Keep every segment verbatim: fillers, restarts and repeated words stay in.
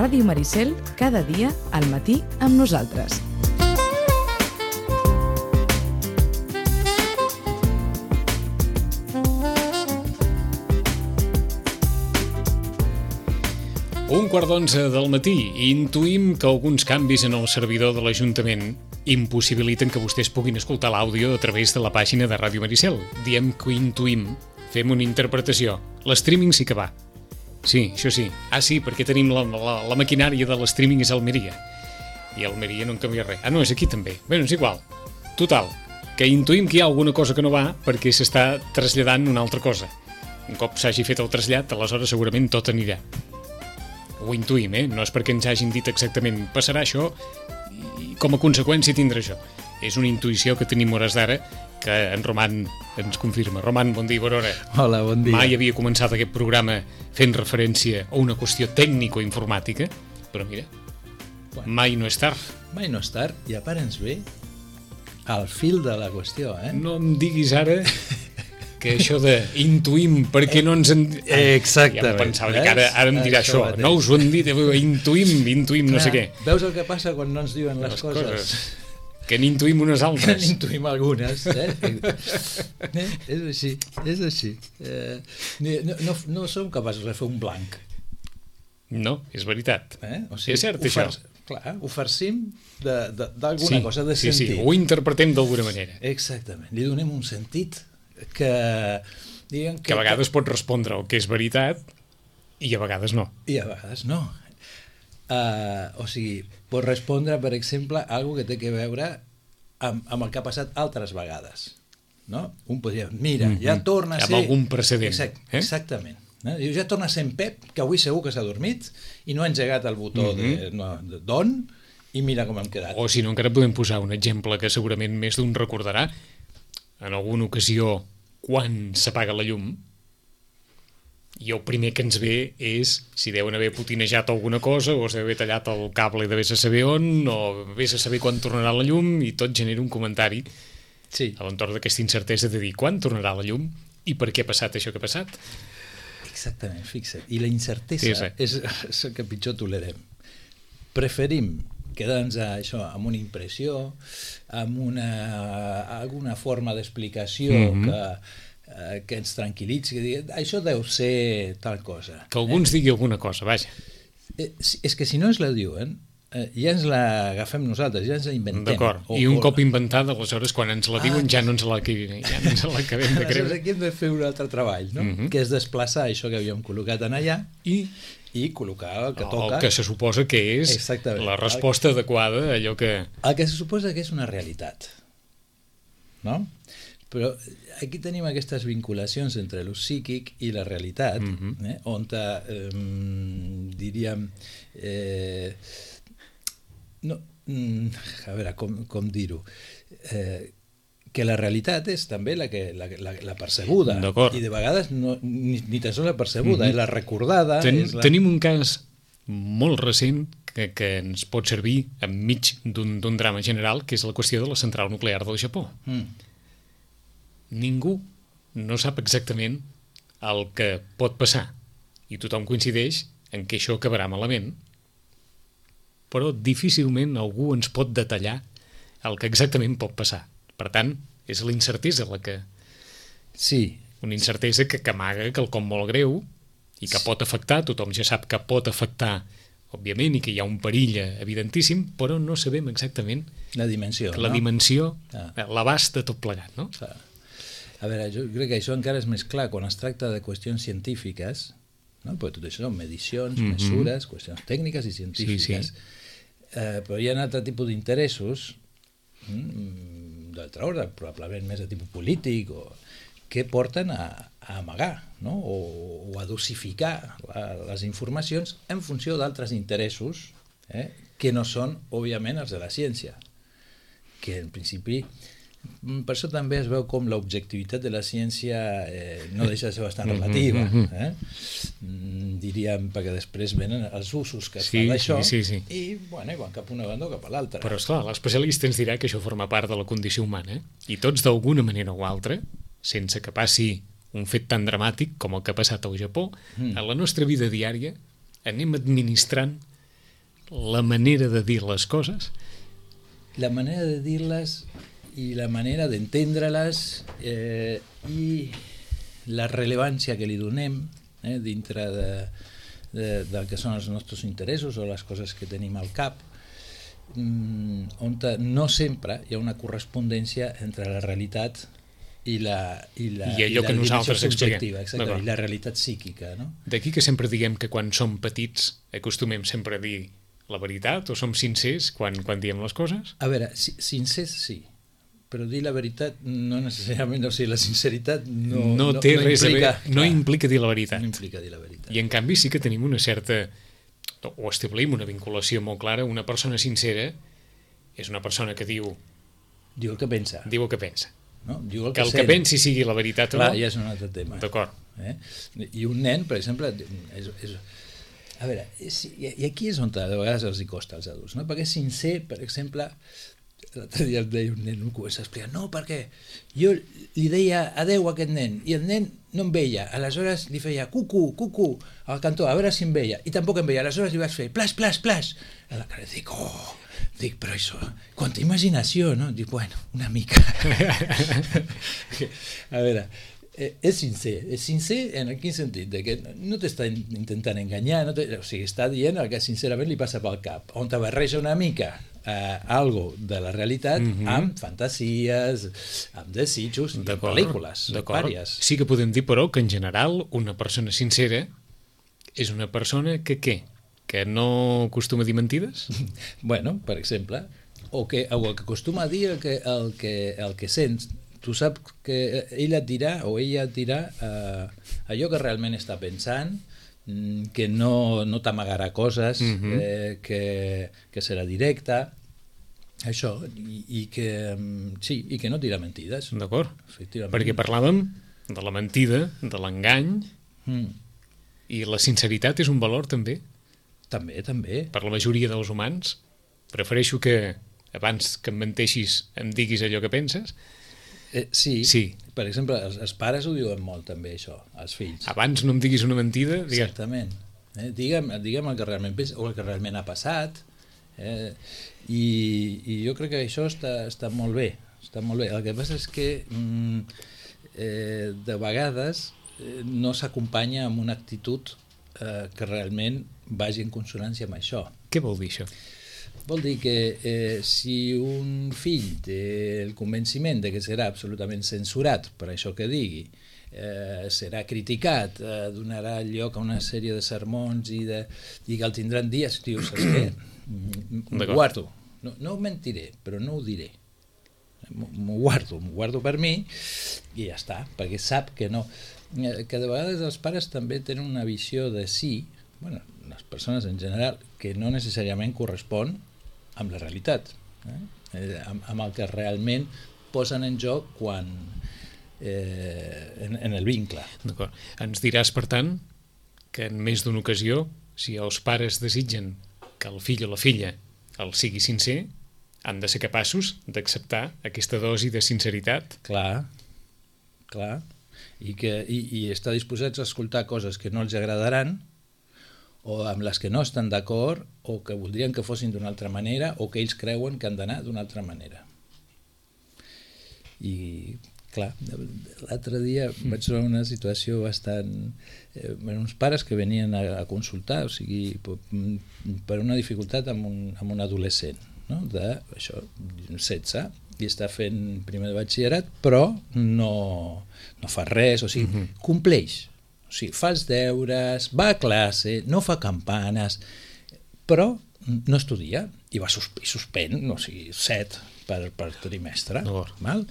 Ràdio Maricel, cada dia al matí amb nosaltres. Un quart d'onze del matí i intuïm que alguns canvis en el servidor de l'Ajuntament impossibiliten que vostès puguin escoltar l'àudio a través de la pàgina de Ràdio Maricel. Diem que intuïm, fem una interpretació. L'streaming sí que va. Sí, això sí. Ah, sí, perquè tenim la, la, la maquinària de l'streaming és a Almeria. I a Almeria no en canvia res. Ah, no, és aquí també. Bé, és igual. Total, que intuïm que hi ha alguna cosa que no va perquè s'està traslladant una altra cosa. Un cop s'hagi fet el trasllat, aleshores segurament tot anirà. Ho intuïm, eh? No és perquè ens hagin dit exactament passarà això i com a conseqüència tindrà això. És una intuïció que tenim hores d'ara que en Roman ens confirma. Roman, bon dia, bona hora. Hola, bon dia. Mai havia començat aquest programa fent referència a una qüestió tècnico-informàtica, però mira, bueno, mai no és tard. Mai no és tard, i a part ens ve al fil de la qüestió, eh? No em diguis ara que això de intuïm perquè no ens en... Exactament. Ja em pensava que ara, ara em dirà això, això no us ho han dit, intuïm, intuïm, clar, no sé què. Veus el que passa quan no ens diuen les, les coses? coses? Que n'intuïm unes altres. Que n'intuïm algunes, eh? eh? És així, és així. Eh, no, no, no som capaços de fer un blanc. No, és veritat. Eh? O sigui, és cert, això. Clar, ho farcim d'alguna sí, cosa, de sí, sentit. Sí, ho interpretem d'alguna manera. Exactament, li donem un sentit que, diguem que... Que a vegades pot respondre el que és veritat i a vegades no. I a vegades no. Uh, o sigui, pot respondre, per exemple, a algo que té que veure amb, amb el que ha passat altres vegades. No? Un podria dir, mira, mm-hmm. ja torna a ser... Amb algun precedent. Exact, eh? Exactament. No? Ja torna a ser en Pep, que avui segur que s'ha dormit i no ha engegat el botó mm-hmm. de, no, de d'on i mira com hem quedat. O si no, encara podem posar un exemple que segurament més d'un recordarà. En alguna ocasió, quan s'apaga la llum, i el primer que ens ve és si deuen haver putinejat alguna cosa o s'ha haver tallat el cable de vés a saber on o vés a saber quan tornarà la llum, i tot genera un comentari sí. a l'entorn d'aquesta incertesa de dir quan tornarà la llum i per què ha passat això que ha passat. Exactament, fixa't. I la incertesa sí, sí. És, és el que pitjor tolerem. Preferim quedar-nos a això, amb una impressió, amb una, alguna forma d'explicació mm-hmm. que, eh, que ens tranquil·litzi, que digui, això deu ser tal cosa. Que algú ens eh? digui alguna cosa, vaja. Eh, és que si no ens la diuen, eh, ja ens l'agafem nosaltres, ja ens la inventem. D'acord, o, i un o... cop inventada, aleshores, quan ens la diuen, ah, ja no ens la, ja no ens l'acabem de creure. Aquí hem de fer un altre treball, no? Mm-hmm. Que és desplaçar això que havíem col·locat en allà i... i col·locar el que toca. El que se suposa que és exactament. La resposta el... adequada a allò que... El que se suposa que és una realitat. No? Però aquí tenim aquestes vinculacions entre el psíquic i la realitat, mm-hmm. eh? on eh, diríem... Eh, no, a veure, com, com dir-ho... Eh, que la realitat és també la, que, la, la, la percebuda. I de vegades no, ni, ni tan sols la percebuda, mm-hmm. és la recordada. Ten, és la... Tenim un cas molt recent que, que ens pot servir enmig d'un drama general, que és la qüestió de la central nuclear del Japó. Mm. Ningú no sap exactament el que pot passar i tothom coincideix en que això acabarà malament, però difícilment algú ens pot detallar el que exactament pot passar. Per tant, és la incertesa la que... Sí. Una incertesa que, que amaga quelcom molt greu i que pot afectar, tothom ja sap que pot afectar, òbviament, i que hi ha un perill evidentíssim, però no sabem exactament... La dimensió, la no? dimensió, ah. l'abast de tot plegat, no? Ah. A veure, jo crec que això encara és més clar quan es tracta de qüestions científiques, no? Perquè tot això són medicions, mm-hmm. mesures, qüestions tècniques i científiques. Sí, sí. Eh, però hi ha un altre tipus d'interessos, mm, d'altra ordre, probablement més de tipus polític, o, que porten a, a amagar, no? o, o a dosificar la, les informacions en funció d'altres interessos eh? que no són, òbviament, els de la ciència. Que, en principi, per això també es veu com l'objectivitat de la ciència eh, no deixa de ser bastant relativa. Eh? Diríem, perquè després venen els usos que es sí, fa d'això sí, sí, sí. i, bueno, van cap a una banda o cap a l'altra. Però, esclar, l'especialista ens dirà que això forma part de la condició humana, eh? I tots, d'alguna manera o altra, sense que passi un fet tan dramàtic com el que ha passat al Japó, mm. a la nostra vida diària anem administrant la manera de dir les coses? La manera de dir-les i la manera d'entendre-les eh, i la rellevància que li donem eh, dintre de, de, del que són els nostres interessos o les coses que tenim al cap, mm, on no sempre hi ha una correspondència entre la realitat i la, i la, I allò i la que nosaltres subjectiva, expliquem. i la realitat psíquica. No? D'aquí que sempre diguem que quan som petits acostumem sempre a dir la veritat o som sincers quan, quan diem les coses? A veure, si, sincers sí, però dir la veritat no necessàriament, o sigui, la sinceritat no, no, no té no res implica, a veure, no clar, implica dir la veritat. No implica dir la veritat. I en canvi sí que tenim una certa, o establim una vinculació molt clara. Una persona sincera és una persona que diu Diu el que pensa. diu el que pensa. No? Diu el Que que, el que pensi sigui la veritat Clar, o no. ja és un altre tema. D'acord. Eh? I un nen, per exemple, és, és, a veure, és, i aquí és on de vegades els hi costa als adults, no? Perquè sincer, per exemple, l'altre dia em deia un nen, un comença a explicar, no, perquè jo li deia adeu a aquest nen, i el nen no em veia, aleshores li feia cucu, cucu, al cantó, a veure si em veia, i tampoc em veia, aleshores li vaig fer plas, plas, plas, a la cara dic, oh, dic, però això, quanta imaginació, no? Dic, bueno, una mica. A veure, eh, és sincer, és sincer en quin sentit? De que no t'està intentant enganyar, no o sigui, està dient el que sincerament li passa pel cap, on te barreja una mica eh, algo de la realitat mm-hmm. amb fantasies, amb desitjos i amb pel·lícules, vàries. Sí que podem dir, però, que en general una persona sincera és una persona que què? Que no acostuma a dir mentides? Bueno, per exemple, o que, o el que acostuma a dir el que, el que, el que sents. Tu saps que ell et dirà o ella et dirà eh, allò que realment està pensant, que no, no t'amagarà coses, mm-hmm. eh, que, que serà directa, això, i, i, que, sí, i que no dirà mentides. D'acord, efectivament. Perquè parlàvem de la mentida, de l'engany, mm. i la sinceritat és un valor també? També, també. Per la majoria dels humans. Prefereixo que abans que em menteixis em diguis allò que penses. Eh, sí. sí, per exemple, els, els pares ho diuen molt també, això, als fills. Abans no em diguis una mentida, digues. Exactament. Eh? Digue'm, digue'm el que realment pensa, o el que realment ha passat. Eh? I, I jo crec que això està, està molt bé. Està molt bé. El que passa és que mm, eh, de vegades eh, no s'acompanya amb una actitud eh, que realment vagi en consonància amb això. Què vol dir això? Vol dir que eh, si un fill té el convenciment de que serà absolutament censurat per això que digui, eh, serà criticat, eh, donarà lloc a una sèrie de sermons i, de, i que el tindran dies, diu, saps què? M'ho guardo. No, no ho mentiré, però no ho diré. M'ho guardo, m'ho guardo per mi i ja està, perquè sap que no. Que de vegades els pares també tenen una visió de sí, bueno, les persones en general, que no necessàriament correspon amb la realitat, eh? amb, amb el que realment posen en joc quan eh, en, en el vincle. D'acord. Ens diràs, per tant, que en més d'una ocasió, si els pares desitgen que el fill o la filla el sigui sincer, han de ser capaços d'acceptar aquesta dosi de sinceritat. Clar, clar, i, que, i, i estar disposats a escoltar coses que no els agradaran, o amb les que no estan d'acord, o que voldrien que fossin d'una altra manera, o que ells creuen que han d'anar d'una altra manera. I, clar, l'altre dia vaig trobar una situació bastant... Eh, uns pares que venien a, a consultar, o sigui, per una dificultat amb un, amb un adolescent, no? De, això, setze, i està fent primer de batxillerat, però no, no fa res, o sigui, mm-hmm. compleix. O sigui, fa els deures, va a classe, no fa campanes, però no estudia i va sus i suspèn, o sigui, set per, per trimestre. No. Val?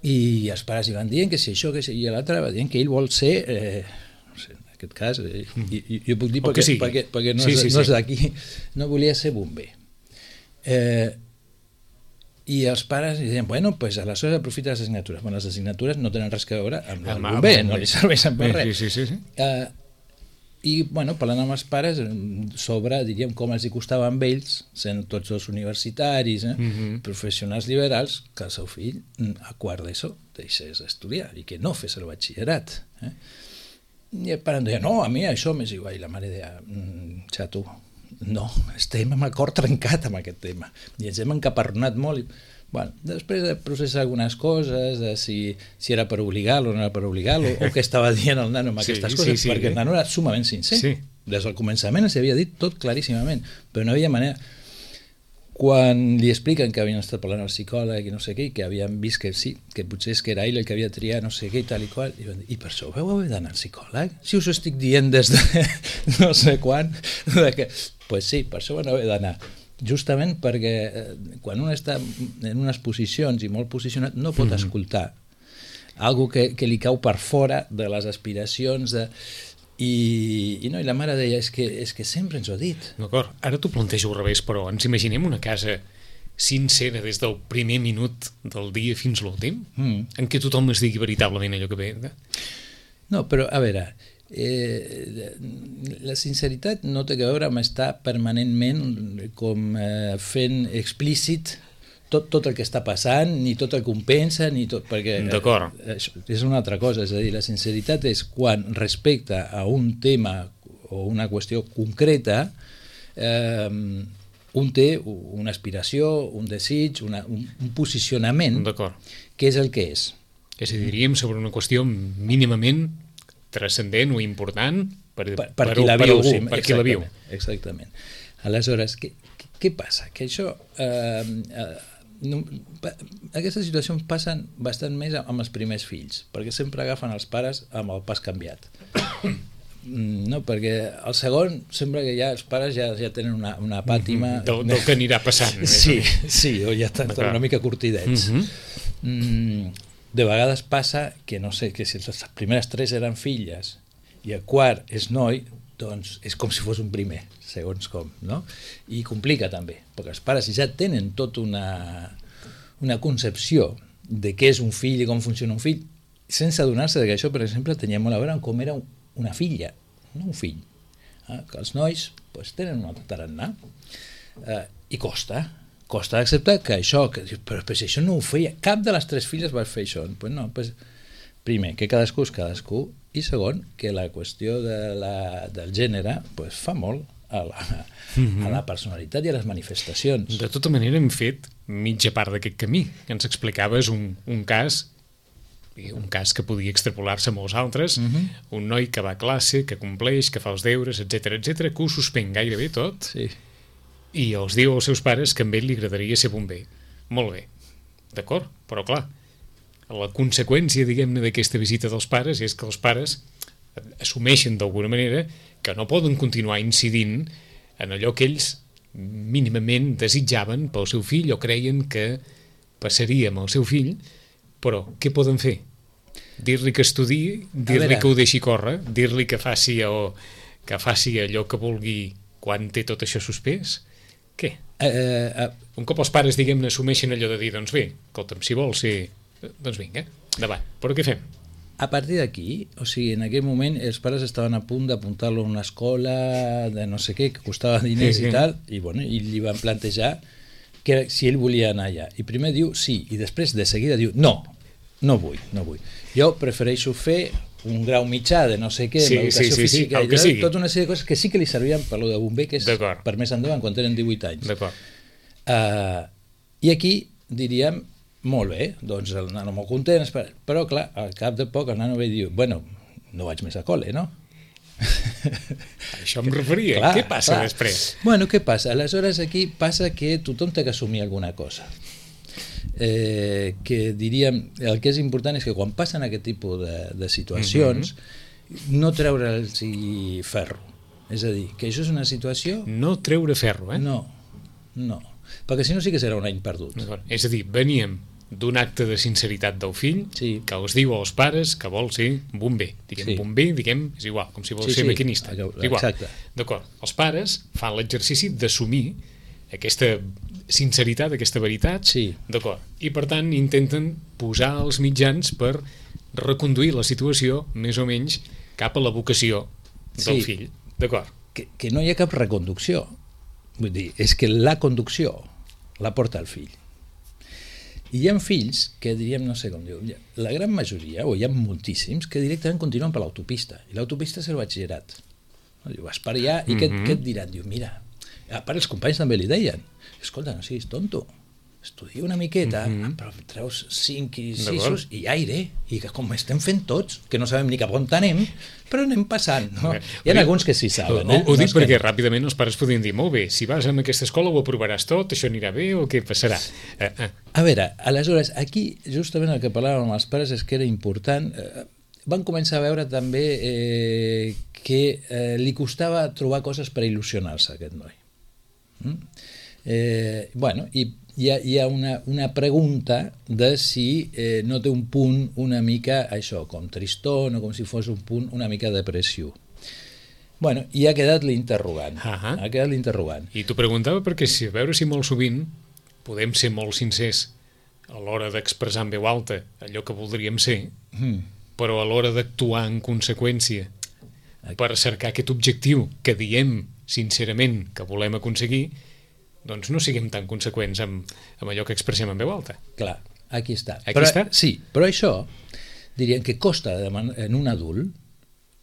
I els pares hi van dient que si això, que si... i l'altre va dient que ell vol ser... Eh, no sé, en aquest cas, eh, i, i, jo puc dir perquè, sí. perquè, perquè no, sí, és, sí, no és d'aquí, no volia ser bomber. Eh, I els pares deien, bueno, pues aleshores aprofita les assignatures. Bueno, les assignatures no tenen res a veure amb el bomber, no li serveixen per res. Sí, sí, sí. Uh, I, bueno, parlant amb els pares, sobre, diríem, com els hi costava amb ells, sent tots dos universitaris, eh, mm-hmm. professionals liberals, que el seu fill, a quart d'ESO, deixés estudiar i que no fes el batxillerat. Eh? I el pare deia, no, a mi això m'és igual. I la mare deia, mm, xato, no, estem amb el cor trencat amb aquest tema i ens hem encaparronat molt. I, bueno, després de processar algunes coses, de si, si era per obligar-lo o no era per obligar-lo, o què estava dient el nano amb sí, aquestes coses, sí, sí, perquè el nano era sumament sincer. Sí. Des del començament ens havia dit tot claríssimament, però no havia manera. Quan li expliquen que havien estat parlant al psicòleg i no sé què, i que havien vist que sí, que potser és que era ell el que havia triat no sé què i tal i qual, i van dir, i per això vau haver d'anar al psicòleg? Si us ho estic dient des de no sé quan, de que... pues sí, per això van haver d'anar. Justament perquè eh, quan un està en unes posicions i molt posicionat no pot mm-hmm. escoltar algo que, que li cau per fora de les aspiracions de... I, i no, i la mare deia, és que, és que sempre ens ho ha dit. D'acord, ara t'ho plantejo al revés, però ens imaginem una casa sincera des del primer minut del dia fins l'últim, mm. en què tothom es digui veritablement allò que ve. No, però a veure, eh, la sinceritat no té a veure amb estar permanentment com eh, fent explícit tot, tot el que està passant, ni tot el que un pensa, ni tot, perquè D'acord. Eh, és una altra cosa, és a dir, la sinceritat és quan respecte a un tema o una qüestió concreta eh, un té una aspiració, un desig, una, un, un posicionament que és el que és. És a dir, diríem sobre una qüestió mínimament transcendent o important per, per, per, per qui la viu. Per, per qui la viu. Exactament. Aleshores, què, què passa? Que això... Eh, eh, No, aquestes situacions passen bastant més amb els primers fills, perquè sempre agafen els pares amb el pas canviat. No, perquè el segon sembla que ja els pares ja, ja tenen una, una pàtima del, del que anirà passant. Sí, sí, o ja estan una mica curtidets. Mm-hmm. De vegades passa que no sé, que si les primeres tres eren filles i el quart és noi, doncs és com si fos un primer, segons com, no? I complica també, perquè els pares ja tenen tota una, una concepció de què és un fill i com funciona un fill, sense adonar-se que això, per exemple, tenia molt a veure amb com era una filla, no un fill. Eh? Que els nois pues, tenen un altre tarannà eh, i costa, costa d'acceptar que això, que, però, però si això no ho feia, cap de les tres filles va fer això. Pues no, pues, primer, que cadascú és cadascú, i segon, que la qüestió de la, del gènere pues, fa molt a la, mm-hmm. a la personalitat i a les manifestacions. De tota manera hem fet mitja part d'aquest camí, que ens explicaves un, un cas un cas que podia extrapolar-se a molts altres, mm-hmm. un noi que va a classe, que compleix, que fa els deures, etcètera, etcètera, que ho suspèn gairebé tot, sí. I els diu als seus pares que a ell li agradaria ser bomber. Molt bé, d'acord, però clar, la conseqüència, diguem-ne, d'aquesta visita dels pares és que els pares assumeixen d'alguna manera que no poden continuar incidint en allò que ells mínimament desitjaven pel seu fill o creien que passaria amb el seu fill, però què poden fer? Dir-li que estudiï, dir-li que ho deixi córrer, dir-li que faci, o, que faci allò que vulgui quan té tot això suspès? Què? Uh, uh, Un cop els pares, diguem-ne, assumeixen allò de dir, doncs bé, escolta'm, si vols ser... Doncs vinga, endavant. Però què fem? A partir d'aquí, o sigui, en aquell moment els pares estaven a punt d'apuntar-lo a una escola de no sé què, que costava diners sí, sí. i tal, i, bueno, i li van plantejar que si ell volia anar allà. I primer diu sí, i després de seguida diu no, no vull, no vull. Jo prefereixo fer un grau mitjà de no sé què, sí, l'educació sí, sí, física, sí, i tota una sèrie de coses que sí que li servien per lo de bomber, que és per més endavant, quan tenen divuit anys. Uh, I aquí diríem, molt bé, doncs el nano molt content, però clar, al cap de poc el nano ve i diu, bueno, no vaig més a col·le, no? Això em referia, clar, què passa clar. Després? Bueno, què passa? Aleshores aquí passa que tothom té que assumir alguna cosa. Eh, que diríem, el que és important és que quan passen aquest tipus de, de situacions mm-hmm. no treure'ls ferro, és a dir, que això és una situació... No treure ferro, eh? No, no, perquè si no sí que serà un any perdut. És a dir, veníem d'un acte de sinceritat del fill sí. que els diu als pares que vol ser bomber, diguem sí. bomber, diguem, és igual, com si vol sí, ser sí. maquinista, igual. D'acord, els pares fan l'exercici d'assumir aquesta sinceritat, aquesta veritat, sí. d'acord, i per tant intenten posar els mitjans per reconduir la situació més o menys cap a la vocació del sí. fill, d'acord. Que, que no hi ha cap reconducció, vull dir, és que la conducció la porta el fill. I hi ha fills que diríem, no sé com diu, la gran majoria, o hi ha moltíssims, que directament continuen per l'autopista, i l'autopista és el batxillerat. Diu, vas per allà, i mm-hmm. què, què et diran? Diu, mira, A part, els companys també li deien, escolta, no siguis tonto, estudia una miqueta, mm-hmm. però treus cinc i sis i aire, i que com estem fent tots, que no sabem ni cap on anem, però anem passant. No? Hi ha dir, alguns que sí saben. Eh? Ho, ho no dic perquè que... ràpidament els pares podien dir, molt bé, si vas a aquesta escola ho aprovaràs tot, això anirà bé o què passarà? Eh, eh. A veure, aleshores, aquí justament el que parlàvem amb els pares és que era important, eh, van començar a veure també eh, que eh, li costava trobar coses per il·lusionar-se aquest noi. Mm? Eh, bueno, i hi ha, hi ha una, una pregunta de si eh, no té un punt una mica, això, com tristón o com si fos un punt una mica depressiu. Bueno, i ha quedat l'interrogant. Uh-huh. Ha quedat l'interrogant. I t'ho preguntava perquè si, a veure si molt sovint podem ser molt sincers a l'hora d'expressar en veu alta allò que voldríem ser, mm. però a l'hora d'actuar en conseqüència per cercar aquest objectiu que diem sincerament que volem aconseguir, doncs no siguem tan conseqüents amb, amb allò que expressem en veu alta. Clar, aquí està. Aquí però, està? Sí, però això diríem que costa en un adult,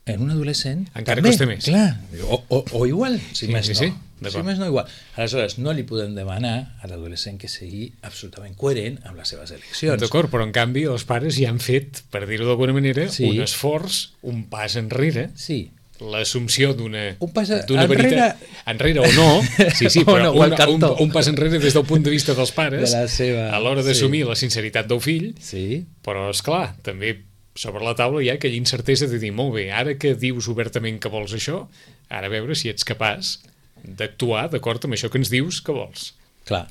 en un adolescent... Encara també, costa més. Clar, o, o, o igual, si sí, més sí, no. Sí, si més no igual. Aleshores, no li podem demanar a l'adolescent que sigui absolutament coherent amb les seves eleccions. D'acord, però en canvi els pares ja han fet, per dir-ho d'alguna manera, sí. un esforç, un pas enrere, sí. l'assumpció d'una enrere... veritat enrere o no, sí, sí, però no, una, un, un pas enrere des del punt de vista dels pares de seva... a l'hora d'assumir sí. la sinceritat del fill, sí. però esclar, també sobre la taula hi ha aquella incertesa de dir, molt bé, ara que dius obertament que vols això, ara a veure si ets capaç d'actuar d'acord amb això que ens dius que vols. Clar,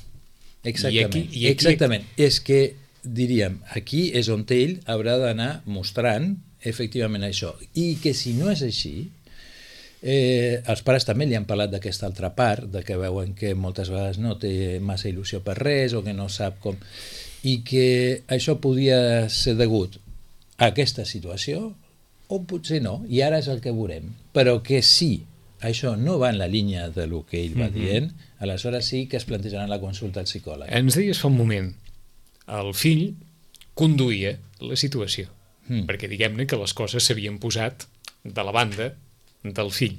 exactament. I aquí, i aquí... Exactament. És que, diríem, aquí és on ell haurà d'anar mostrant efectivament això. I que si no és així, eh, els pares també li han parlat d'aquesta altra part, de que veuen que moltes vegades no té massa il·lusió per res o que no sap com... I que això podia ser degut a aquesta situació o potser no, i ara és el que veurem. Però que si això no va en la línia de lo que ell va mm-hmm. dient, aleshores sí que es plantejaran la consulta al psicòleg. Ens deies fa un moment, el fill conduïa la situació, mm. perquè diguem-ne que les coses s'havien posat de la banda del fill.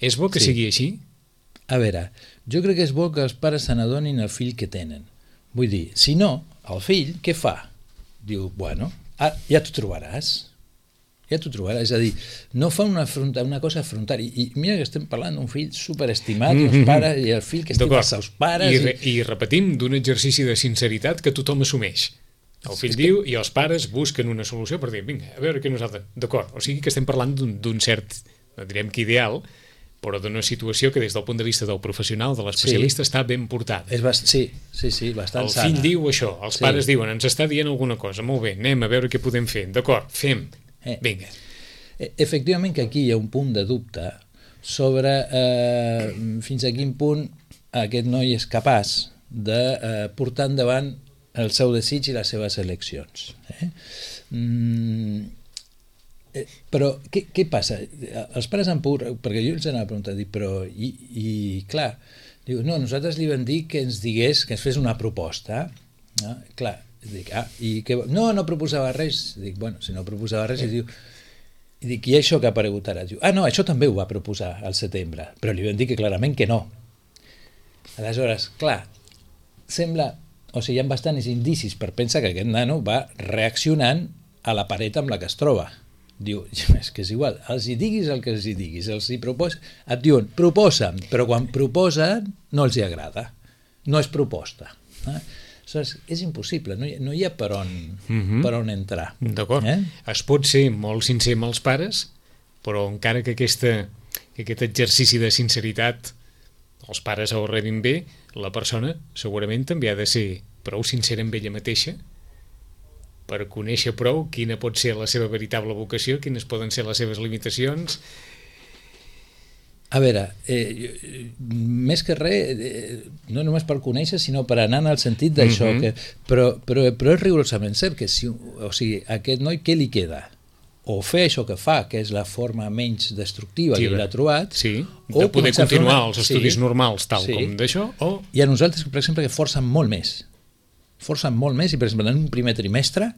És bo que sí. sigui així? A veure, jo crec que és bo que els pares se n'adonin el fill que tenen. Vull dir, si no, el fill què fa? Diu, bueno, ah, ja t'ho trobaràs. Ja t'ho trobaràs. És a dir, no fa una, afronta, una cosa afrontar. I, I mira que estem parlant d'un fill superestimat, mm-hmm. els pares, i el fill que estima els seus pares... I, re, i... I repetim, d'un exercici de sinceritat que tothom assumeix. El fill diu que... i els pares busquen una solució per dir, vinga, a veure què nosaltres... D'acord, o sigui que estem parlant d'un cert, no direm que ideal, però d'una situació que des del punt de vista del professional, de l'especialista, sí. està ben portada. És bast... Sí, sí, sí, bastant sana. El fill diu això, els sí. pares diuen, ens està dient alguna cosa, molt bé, anem a veure què podem fer, d'acord, fem, eh. vinga. Efectivament que aquí hi ha un punt de dubte sobre eh, fins a quin punt aquest noi és capaç de eh, portar endavant el seu desig i les seves eleccions. Eh? Mm, però què, què passa? Els pares han pogut, perquè jo els anava a preguntar, dic, però i, i clar, diu, no, nosaltres li vam dir que ens digués, que ens fes una proposta, no? Clar, dic, ah, i que, no, no proposava res, dic, bueno, si no proposava res, i diu, i dic, i això que ha aparegut ara? Diu, ah, no, això també ho va proposar al setembre, però li vam dir que clarament que no. Aleshores, clar, sembla, o sigui, hi ha bastants indicis per pensar que aquest nano va reaccionant a la paret amb la que es troba. Diu, és que és igual, els hi diguis el que els hi diguis, els hi proposa, et diuen, proposa'm, però quan proposen no els hi agrada, no és proposta. Eh? Aleshores, és impossible, no hi, no hi ha per on, mm-hmm. per on entrar. D'acord. Eh? Es pot ser molt sincer amb els pares, però encara que, aquesta, que aquest exercici de sinceritat els pares ho rebin bé, la persona segurament també ha de ser prou sincera amb ella mateixa per conèixer prou quina pot ser la seva veritable vocació, quines poden ser les seves limitacions. A veure, eh, més que res, eh, no només per conèixer, sinó per anar en el sentit d'això, mm-hmm. que, però, però, però és rigorosament cert que si, o sigui, a aquest noi què li queda? O fer això que fa, que és la forma menys destructiva sí, que ell ha trobat, sí, de o poder continuar una... els estudis sí, normals tal sí. com d'això, o... Hi ha nosaltres, per exemple, que forcen molt més. Forcen molt més, i per exemple, en un primer trimestre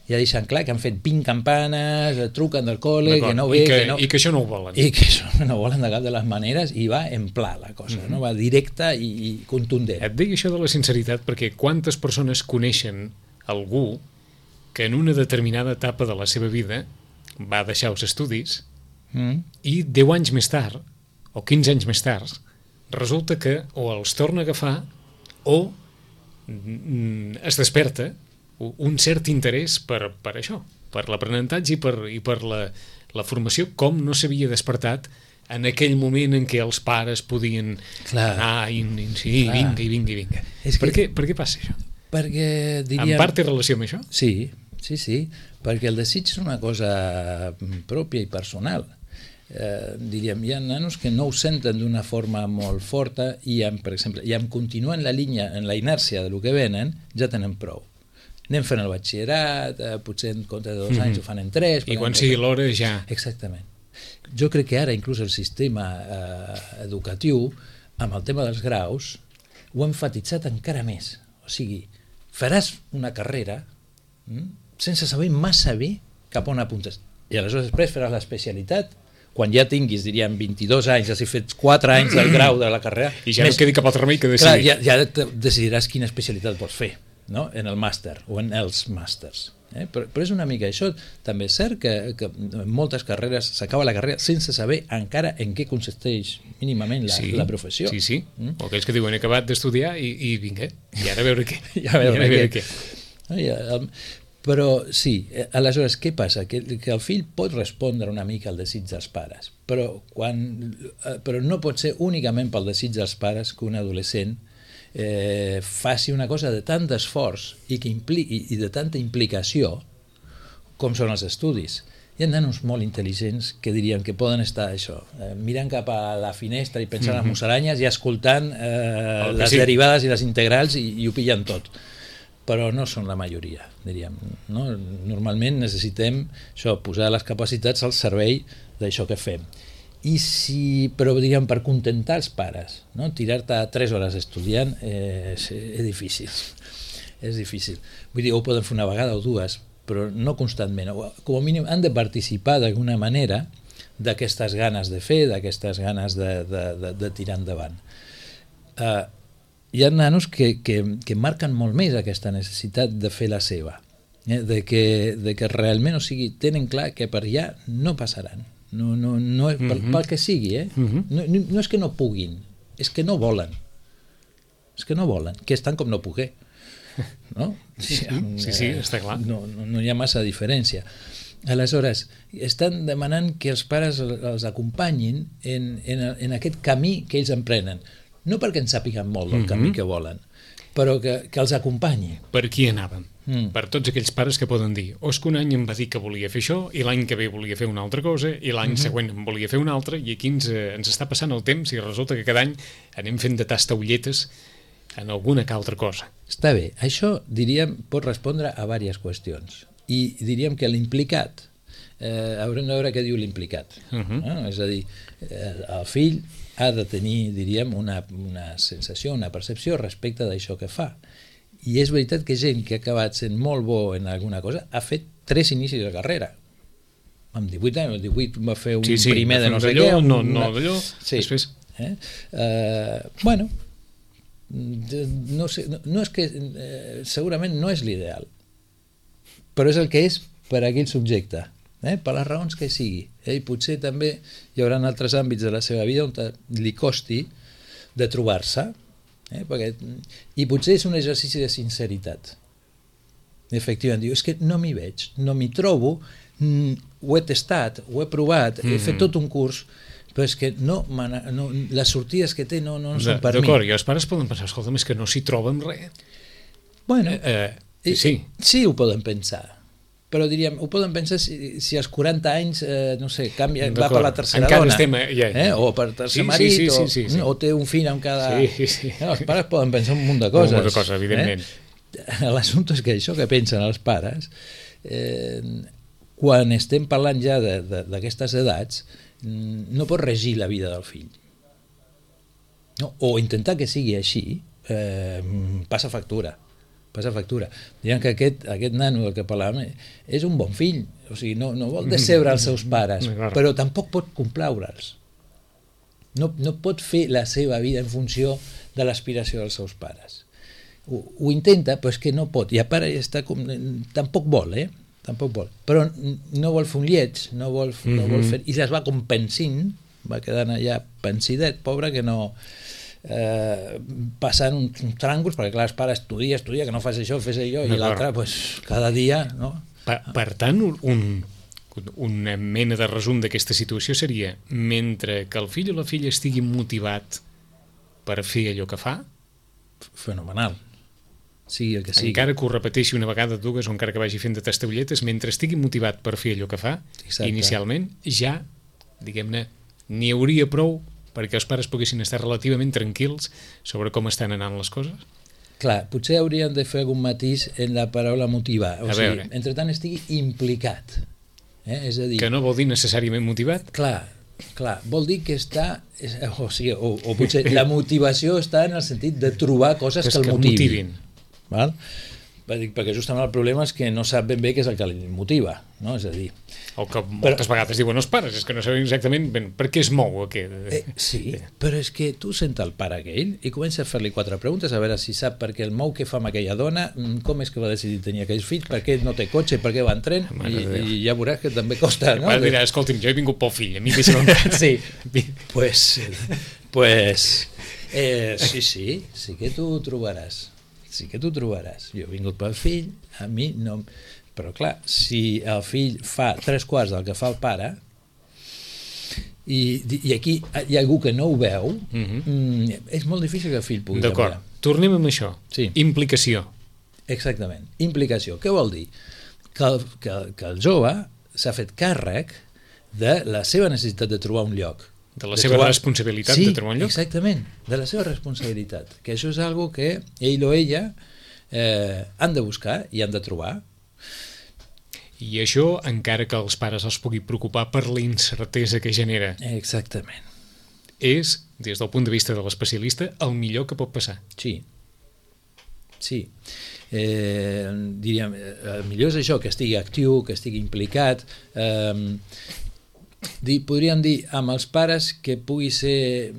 ja deixen clar que han fet vint campanes, truquen del col·le, que no ve... I que, que no... I que això no ho volen. I que això no volen de cap de les maneres, i va en pla la cosa, mm-hmm. no? Va directa i, i contundent. Et deia això de la sinceritat perquè quantes persones coneixen algú que en una determinada etapa de la seva vida va deixar els estudis mm. i deu anys més tard, o quinze anys més tard, resulta que o els torna a agafar o es desperta un cert interès per, per això, per l'aprenentatge i per, i per la, la formació, com no s'havia despertat en aquell moment en què els pares podien Clar. anar i, i sí, Clar. vinga, i vinga, i vinga. És per, que, què, per què passa això? Perquè, diríem... En part té relació amb això? Sí, sí, sí, perquè el desig és una cosa pròpia i personal. Eh, diríem, hi ha nanos que no ho senten d'una forma molt forta i, amb, per exemple, i amb continuar en la línia, en la inèrcia del que venen, ja tenen prou. Anem fent el batxillerat, eh, potser en compte de dos anys mm-hmm. ho fan en tres... I quan sigui l'hora ja... Exactament. Jo crec que ara inclús el sistema eh, educatiu, amb el tema dels graus, ho ha enfatitzat encara més. O sigui, faràs una carrera hm, sense saber massa bé cap on apuntes. I aleshores després faràs l'especialitat quan ja tinguis, diríem, vint-i-dos anys, has fet quatre anys del grau de la carrera... I ja més, no quedi cap altre remei que decidir. Clar, ja, ja decidiràs quina especialitat vols fer, no? En el màster o en els màsters. Eh? Però, però és una mica això. També és cert que, que en moltes carreres s'acaba la carrera sense saber encara en què consisteix mínimament la, sí, la professió. Sí, sí. Mm? O aquells que diuen he acabat d'estudiar i, i vinga, i ara a veure què. I a veure, I ara a veure què. què. I, el, però sí, aleshores què passa? Que, que el fill pot respondre una mica al desig dels pares, però, quan, però no pot ser únicament pel desig dels pares que un adolescent eh, faci una cosa de tant d'esforç i, que impli i, i de tanta implicació com són els estudis. Hi ha nanos molt intel·ligents que dirien que poden estar això, eh, mirant cap a la finestra i pensant mm-hmm. en musaranyes i escoltant eh, les sí. derivades i les integrals i, i ho pillen tot. Però no són la majoria, diríem. No? Normalment necessitem això, posar les capacitats al servei d'això que fem. I si, però diríem, per contentar els pares, no? Tirar-te tres hores estudiant eh, és, és difícil. És difícil. Vull dir, ho poden fer una vegada o dues, però no constantment. Com a mínim han de participar d'alguna manera d'aquestes ganes de fer, d'aquestes ganes de, de, de, de tirar endavant. Uh, hi ha nanos que, que, que marquen molt més aquesta necessitat de fer la seva, eh? de, que, de que realment, o sigui, tenen clar que per allà no passaran, no, no, no, mm-hmm. pel, pel que sigui, eh? mm-hmm. no, no, no és que no puguin, és que no volen, és que no volen, que estan com no poder, no? Sí, sí, sí, sí, està clar. No, no, no hi ha massa diferència. Aleshores, estan demanant que els pares els acompanyin en, en, en aquest camí que ells emprenen, no perquè en sàpiguen molt del mm-hmm. camí que volen, però que, que els acompanyi. Per qui anàvem? Mm. Per tots aquells pares que poden dir o és que un any em va dir que volia fer això i l'any que ve volia fer una altra cosa i l'any mm-hmm. següent em volia fer una altra i aquí ens, ens està passant el temps i resulta que cada any anem fent de tastaulletes en alguna que altra cosa. Està bé. Això, diríem, pot respondre a diverses qüestions. I diríem que l'implicat, eh, haurem de veure què diu l'implicat. Uh-huh. eh? És a dir, eh, el fill ha de tenir, diríem, una, una sensació, una percepció respecte d'això que fa. I és veritat que gent que ha acabat sent molt bo en alguna cosa ha fet tres inicis de carrera. Amb divuit anys, amb divuit va fer un sí, sí, primer de no sé què. No, no d'allò, sí. després... Eh? Uh, bueno, no, sé, no, no és que eh, segurament no és l'ideal, però és el que és per a aquell subjecte, eh? Per les raons que sigui. Eh? I potser també hi haurà altres àmbits de la seva vida on li costi de trobar-se, eh? Perquè, i potser és un exercici de sinceritat. Efectivament, diu, és que no m'hi veig, no m'hi trobo, mm, ho he tastat, ho he provat, mm-hmm. he fet tot un curs, però és que no, no, les sortides que té no, no són per mi. D'acord, i els pares poden pensar, escolta, és que no s'hi troben res. Bueno, eh, eh, sí. sí ho poden pensar, però diríem, ho poden pensar si, si als quaranta anys, eh, no sé, canvia, va per la tercera encara dona, estem, ja, ja. Eh? o per tercer sí, marit, sí, sí, sí, sí, sí. O, o té un fill amb cada... Sí, sí. No, els pares poden pensar un munt de coses. Un munt de coses, evidentment. Eh? L'assumpte és que això que pensen els pares, eh, quan estem parlant ja d'aquestes edats, no pot regir la vida del fill. No? O intentar que sigui així eh, passa factura. passa factura. Diuen que aquest, aquest nano del que parlàvem és un bon fill, o sigui, no, no vol decebre els seus pares, però tampoc pot complaure'ls. No, no pot fer la seva vida en funció de l'aspiració dels seus pares. Ho, ho intenta, però és que no pot, i a part està com, tampoc vol, eh? Tampoc vol, però no vol fer un lleig, no vol, mm-hmm. no vol fer, i es va com pensint, va quedant allà pensidet, pobre, que no eh, passant uns, uns tràngols, perquè clar, els pares estudia, estudia, que no fas això, fes allò, i l'altre, pues, cada dia, no? Per, per tant, un, una mena de resum d'aquesta situació seria, mentre que el fill o la filla estigui motivat per fer allò que fa, fenomenal. Sigui el que sigui. Encara que ho repeteixi una vegada, dues, o encara que vagi fent de tastaulletes, mentre estigui motivat per fer allò que fa, exacte. Inicialment, ja, diguem-ne, n'hi hauria prou perquè els pares poguessin estar relativament tranquils sobre com estan anant les coses? Clar, potser hauríem de fer algun matís en la paraula motivar. O sigui, entre tant estigui implicat. Eh? És a dir... Que no vol dir necessàriament motivat? Clar, clar, vol dir que està... O sigui, o, o potser la motivació està en el sentit de trobar coses que, que el motivin. motivin. Val? Perquè justament el problema és que no sap ben bé què és el que li motiva, no? És a dir... O que moltes però, vegades diuen els pares, és que no saben exactament ben per què es mou aquest... Eh, sí, però és que tu sent el pare aquell i comença a fer-li quatre preguntes a veure si sap per què el mou, què fa amb aquella dona, com és que va decidir tenir aquells fills, per què no té cotxe, per què va en tren, i, i ja veuràs que també costa, no? El pare dirà, escolti'm, jo he vingut pel fill, a mi deixa'm en pare. Sí, pues, pues eh, sí, sí, sí que tu ho trobaràs. Sí que tu trobaràs. Jo he vingut pel fill, a mi no... Però clar, si el fill fa tres quarts del que fa el pare i, i aquí hi ha algú que no ho veu, mm-hmm. és molt difícil que el fill pugui D'acord. Canviar. Tornem amb això. Sí. Implicació. Exactament. Implicació. Què vol dir? Que el, que, que el jove s'ha fet càrrec de la seva necessitat de trobar un lloc. De la de seva trobar... responsabilitat sí, de trobar un lloc? Exactament, de la seva responsabilitat. Que això és algo que ell o ella eh, han de buscar i han de trobar. I això encara que els pares els pugui preocupar per la incertesa que genera. Exactament. És, des del punt de vista de l'especialista, el millor que pot passar. Sí. Sí. Eh, diríem, el millor és això, que estigui actiu, que estigui implicat. Eh, Dir, podríem dir amb els pares que pugui ser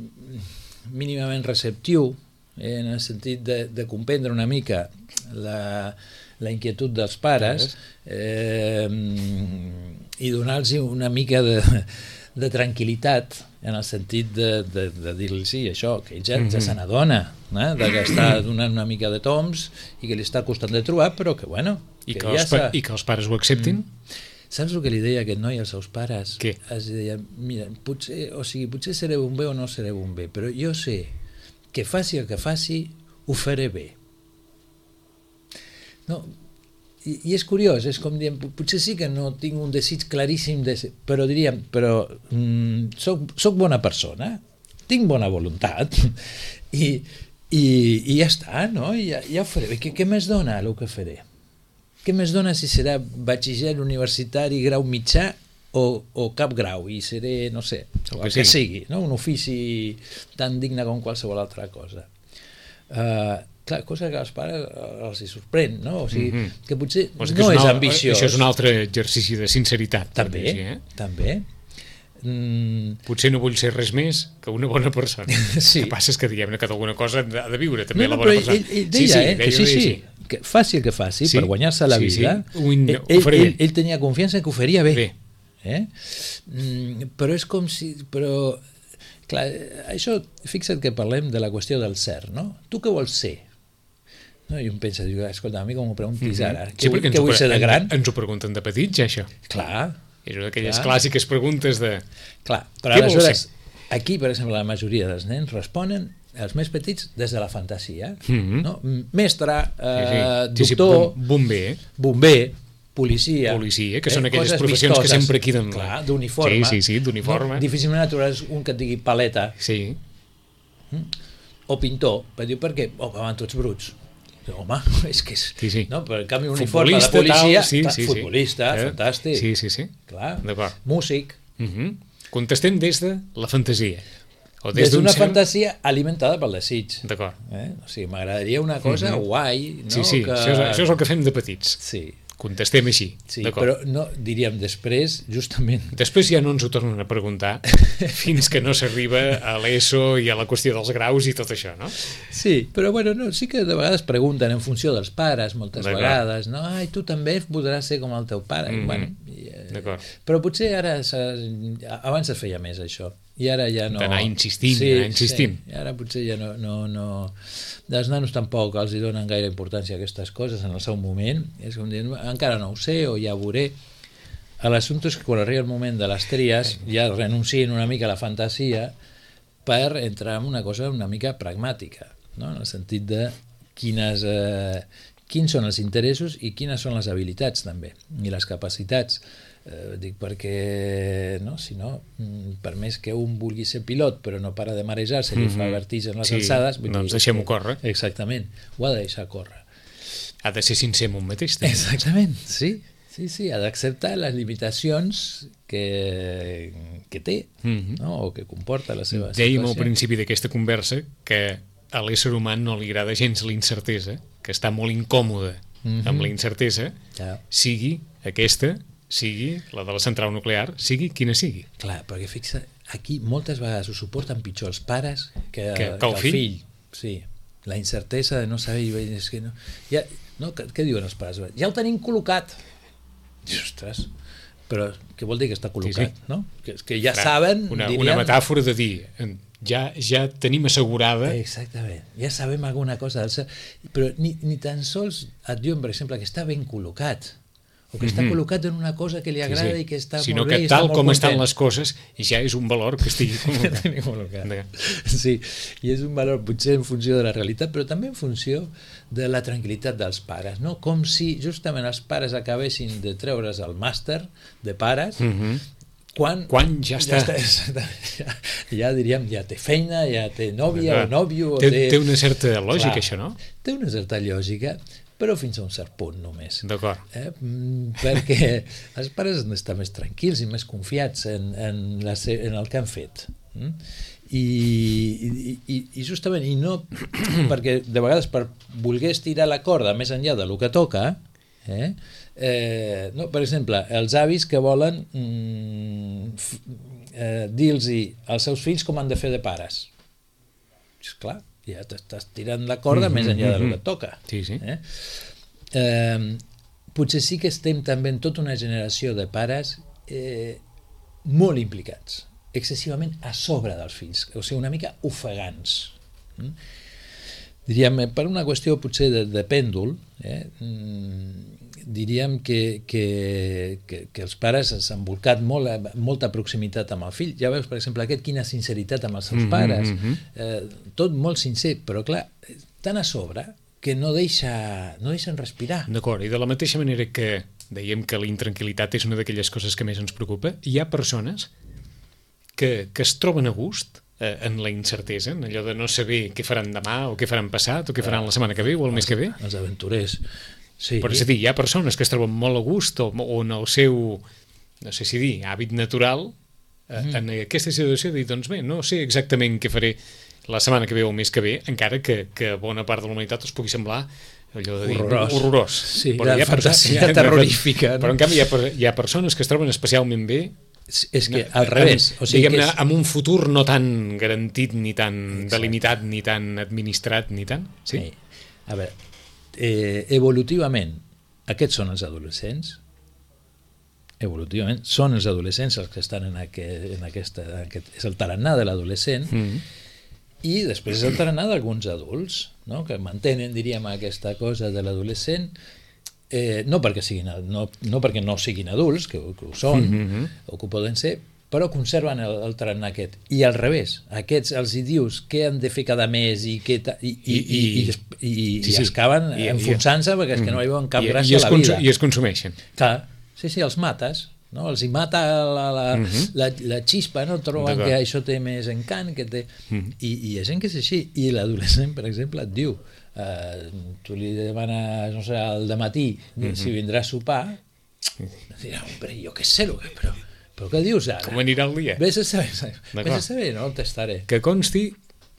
mínimament receptiu eh, en el sentit de, de comprendre una mica la, la inquietud dels pares eh, i donar-los una mica de, de tranquil·litat en el sentit de, de, de dir-li sí, això, que ell ja, ja se n'adona eh, de que està donant una mica de toms i que li està costant de trobar, però que bueno I que, que, ja els, pa i que els pares ho acceptin? Mm. Saps el que li deia aquest noi als seus pares? Què? Es deia, mira, potser, o sigui, potser seré un bé o no seré un bé, però jo sé que faci el que faci, ho faré bé. No, i, i és curiós, és com diem, potser sí que no tinc un desig claríssim, de ser, però diríem, però mm, soc, soc bona persona, tinc bona voluntat, i, i, i ja està, no? I ja, ja ho faré bé. Què, què més dona el que faré? Què més dona si serà batxiller universitari, grau mitjà o, o cap grau? I seré, no sé, el que, que sigui, no? Un ofici tan digne com qualsevol altra cosa. Uh, clar, cosa que als pares els hi sorprèn, no? O sigui, mm-hmm. que potser o sigui, no és, és ambiciós. Això és un altre exercici de sinceritat. També, dir, eh? també. Mm. Potser no vull ser res més que una bona persona. Sí. El que passa és que diguem-ne que d'alguna cosa ha de viure també no, no, la bona persona. Ell, ell deia, sí, sí, eh? que sí, sí, sí. Que faci el que faci sí, per guanyar-se la sí, vida, sí. In... ell, ell, ell tenia confiança que ho faria bé. bé. Eh? Mm, però és com si... Però, clar, això, fixa't que parlem de la qüestió del ser, no? Tu què vols ser? No? I un pensa, diu, escolta, a mi com m'ho preguntis ara, mm-hmm. sí, què, què vull ser de gran? Ens ho pregunten de petits, ja, això. Clar. És una d'aquelles clàssiques preguntes de... Clar, però aleshores, aquí, per exemple, la majoria dels nens responen els més petits des de la fantasia, mm-hmm. no? Mestre, eh, sí, sí. doctor, sí, sí, bomber, bomber, policia, policia, que són eh, aquelles professions vistoses, que sempre queden clar, d'uniforme, sí, sí, sí, d'uniforme. No, difícilment trobaràs un que et digui paleta, sí. o pintor, per dir per què? Oh, van tots bruts. Home, és que és... Sí, sí. No? Per el canvi uniforme de policia, tal, sí, clar, sí, futbolista, sí. fantàstic. Sí, sí, sí. Clar, d'acord. músic. Uh-huh. Contestem des de la fantasia. O des, des d'una cert... fantasia alimentada pel desig. D'acord. Eh? O sigui, m'agradaria una cosa mm-hmm. guai, no? Sí, sí, que... això, és, això és el que fem de petits. Sí. Contestem així. Sí, però no, diríem després, justament... Després ja no ens ho tornen a preguntar fins que no s'arriba a l'ESO i a la qüestió dels graus i tot això, no? Sí, però bueno, no, sí que de vegades pregunten en funció dels pares, moltes vegades, no? Ai, tu també podràs ser com el teu pare. Mm-hmm. Bueno, i, eh, però potser ara, abans es feia més això, i ara ja no... D'anar insistint, sí, anar insistint. Sí, i ara potser ja no, no, no... Els nanos tampoc els hi donen gaire importància a aquestes coses en el seu moment, és com dir, encara no ho sé o ja ho veuré. L'assumpte és que quan arriba el moment de les tries ja renuncien una mica a la fantasia per entrar en una cosa una mica pragmàtica, no? En el sentit de quines, eh, quins són els interessos i quines són les habilitats també, i les capacitats. Eh, dic perquè no, si no, per més que un vulgui ser pilot però no para de marejar-se i mm-hmm. fa vertigen en les sí, alçades, doncs deixem-ho córrer. Exactament, ho ha de deixar córrer. Ha de ser sincer amb un mateix temps. Exactament, sí, sí, sí, ha d'acceptar les limitacions que, que té, mm-hmm. no? O que comporta la seva situació. Dèiem al principi d'aquesta conversa que a l'ésser humà no li agrada gens la incertesa, que està molt incòmode mm-hmm. amb la incertesa, ja. Sigui aquesta sigui la de la central nuclear, sigui quina sigui. Clar, perquè fixa, aquí moltes vegades ho suporten pitjor els pares que, que, que, el, que el fill. fill. Sí, la incertesa de no saber... És que no, ja, no, què, què diuen els pares? Ja ho tenim col·locat. Ostres, però què vol dir que està col·locat? Sí, sí. No? Que, que ja Clar, saben... Una, dirien... una metàfora de dir, ja, ja tenim assegurada... Exactament, ja sabem alguna cosa. Però ni, ni tan sols et diuen, per exemple, que està ben col·locat, o que està mm-hmm. col·locat en una cosa que li agrada sí, sí. i que està sinó molt bé i està està molt content. Sinó que tal com estan les coses ja és un valor que estigui col·locat. col·locat. Sí, i és un valor potser en funció de la realitat, però també en funció de la tranquil·litat dels pares, no? Com si justament els pares acabessin de treure's el màster de pares, mm-hmm. quan, quan ja està, ja, està ja, ja diríem, ja té feina, ja té nòvia o nòvio... Té, té... té una certa lògica, Clar, això, no? Té una certa lògica, però fins a un cert punt només. D'acord. Eh? Perquè els pares han d'estar més tranquils i més confiats en, en, la, en el que han fet. Mm? I, i, i justament, i no perquè de vegades per voler estirar la corda més enllà del que toca, eh? Eh, no, per exemple, els avis que volen mm, f, eh, dir-los als seus fills com han de fer de pares. Esclar, ja t'estàs tirant la corda mm-hmm, més enllà del que et toca. Sí, sí. Eh? Eh, potser sí que estem també en tota una generació de pares eh, molt implicats, excessivament a sobre dels fills, o sigui, una mica ofegants. Mm? Diríem, per una qüestió potser de, de pèndol, eh, diríem que, que, que, que els pares s'han volcat molt, molta proximitat amb el fill. Ja veus, per exemple, aquest, quina sinceritat amb els seus pares. Mm-hmm. Eh, tot molt sincer, però clar, tan a sobre que no deixa, no deixen respirar. D'acord, i de la mateixa manera que dèiem que la intranquil·litat és una d'aquelles coses que més ens preocupa, hi ha persones que, que es troben a gust eh, en la incertesa, en allò de no saber què faran demà o què faran passat o què faran la setmana que ve o el mes que ve. Els aventurers. Sí. Però és a dir, hi ha persones que es troben molt a gust o, o en el seu, no sé si dir, hàbit natural eh, mm. en aquesta situació de dir, doncs bé, no sé exactament què faré la setmana que ve o el mes que ve, encara que, que bona part de la humanitat us pugui semblar allò de dir, horrorós, horrorós. Sí, però hi ha fantasia ha, terrorífica, no? Però en canvi hi ha, hi ha persones que es troben especialment bé, és que al revés, o sigui, diguem-ne, és... amb un futur no tan garantit ni tan Exacte. delimitat ni tan administrat ni tant, sí? sí. A veure, eh, evolutivament aquests són els adolescents, evolutivament són els adolescents els que estan en, aquest, en aquesta en aquest, és el tarannà de l'adolescent mm. i després és el tarannà d'alguns adults, no? Que mantenen, diríem, aquesta cosa de l'adolescent. Eh, no, perquè siguin, no, no perquè no siguin adults, que, que ho són, mm-hmm. o que ho poden ser, però conserven el, el tarannà aquest. I al revés, aquests els hi dius què han de fer cada mes i, què ta, i, i, i, i, i, i, sí, sí. i acaben I, enfonsant-se perquè és que no hi veuen cap i, gràcia i a la vida. I es consumeixen. Clar, sí, sí, els mates, no? Els hi mata la, la, mm-hmm. la, la xispa, no? Troben que això té més encant, que té... Mm-hmm. I, i hi ha gent que és així. I l'adolescent, per exemple, et diu Uh, tu li demanes, no sé, al dematí mm-hmm. si vindrà a sopar, dirà, hombre, jo què sé, però Però què dius ara? Com anirà el dia? Vés a saber, vés a saber, no el testaré. Que consti,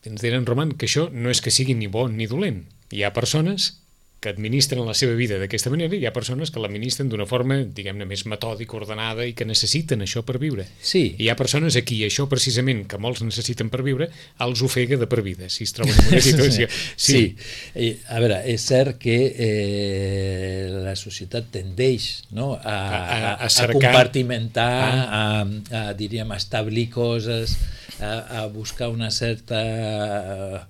ens diran, Roman, que això no és que sigui ni bo ni dolent. Hi ha persones que administren la seva vida d'aquesta manera i hi ha persones que l'administren d'una forma, diguem-ne, més metòdica, ordenada i que necessiten això per viure. Sí. I hi ha persones a qui això precisament, que molts necessiten per viure, els ofega de per vida, si es troben en una situació. Sí. sí. I, a veure, és cert que eh, la societat tendeix, no, a, a, a, a, cercar... a compartimentar, ah. a, a, diríem, a establir coses, a, a buscar una certa...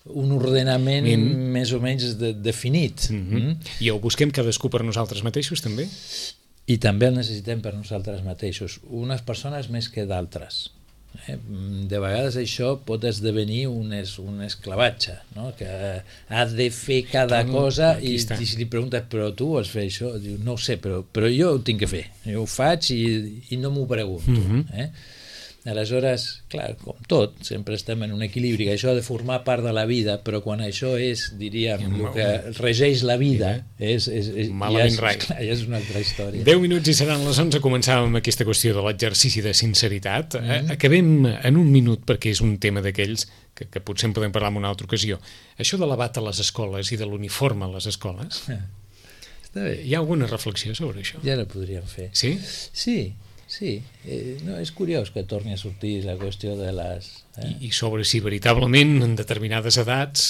un ordenament mm. més o menys de, definit. Mm-hmm. Mm? I ho busquem cadascú per nosaltres mateixos, també? I també el necessitem per nosaltres mateixos. Unes persones més que d'altres. Eh? De vegades això pot esdevenir un, es, un esclavatge, no? Que ha de fer cada Tom, cosa i, i si li preguntes, però tu vols fer això? Diu, no ho sé, però, però jo ho tinc que fer. Jo ho faig i, i no m'ho pregunto. Mm-hmm. eh? Aleshores, clar, com tot, sempre estem en un equilibri, que això ha de formar part de la vida, però quan això és, diríem, el que regeix la vida, és, és, és, ja, és, clar, ja és una altra història. deu minuts i seran les onze, començàvem amb aquesta qüestió de l'exercici de sinceritat. Mm-hmm. Acabem en un minut, perquè és un tema d'aquells que, que potser en podem parlar en una altra ocasió. Això de la bata a les escoles i de l'uniforme a les escoles, està bé. Hi ha alguna reflexió sobre això? Ja la podríem fer. Sí? Sí. Sí, eh, no, és curiós que torni a sortir la qüestió de les... Eh? I, I sobre si veritablement en determinades edats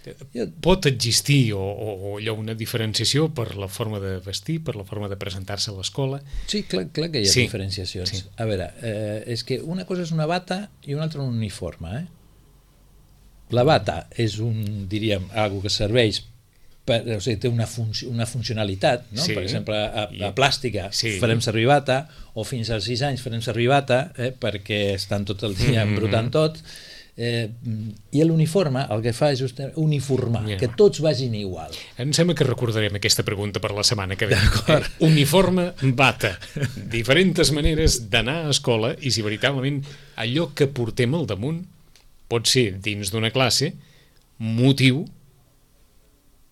jo... pot existir o, o, o allò una diferenciació per la forma de vestir, per la forma de presentar-se a l'escola. Sí, clar, clar que hi ha sí. diferenciacions. Sí. A veure, eh, és que una cosa és una bata i una altra un uniforme. Eh? La bata és un, diríem, algo que serveix per, o sigui, té una, func una funcionalitat, no? Sí. Per exemple, a, a plàstica sí. farem servir bata, o fins als sis anys farem servir bata, eh, perquè estan tot el dia embrutant tot, eh, i l'uniforme el que fa és just uniformar, yeah. que tots vagin igual. Em sembla que recordarem aquesta pregunta per la setmana que ve. Eh, uniforme, bata, diferents maneres d'anar a escola, i si veritablement allò que portem al damunt pot ser, dins d'una classe, motiu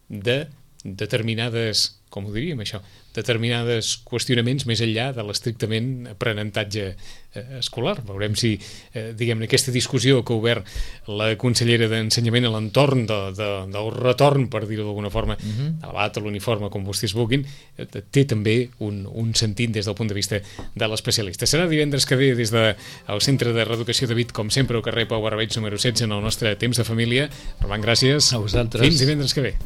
de determinades, com ho diríem això, determinades qüestionaments més enllà de l'estrictament aprenentatge eh, escolar. Veurem si, eh, diguem-ne, aquesta discussió que ha obert la consellera d'Ensenyament a l'entorn de, de, del retorn, per dir-ho d'alguna forma, uh-huh. de la bata, l'uniforme, com vostès vulguin, eh, té també un, un sentit des del punt de vista de l'especialista. Serà divendres que ve des del Centre de Reeducació de Vic, com sempre, al carrer Pau Barbeig número setze, en el nostre Temps de Família. Roman, gràcies. A vosaltres. Fins divendres que ve.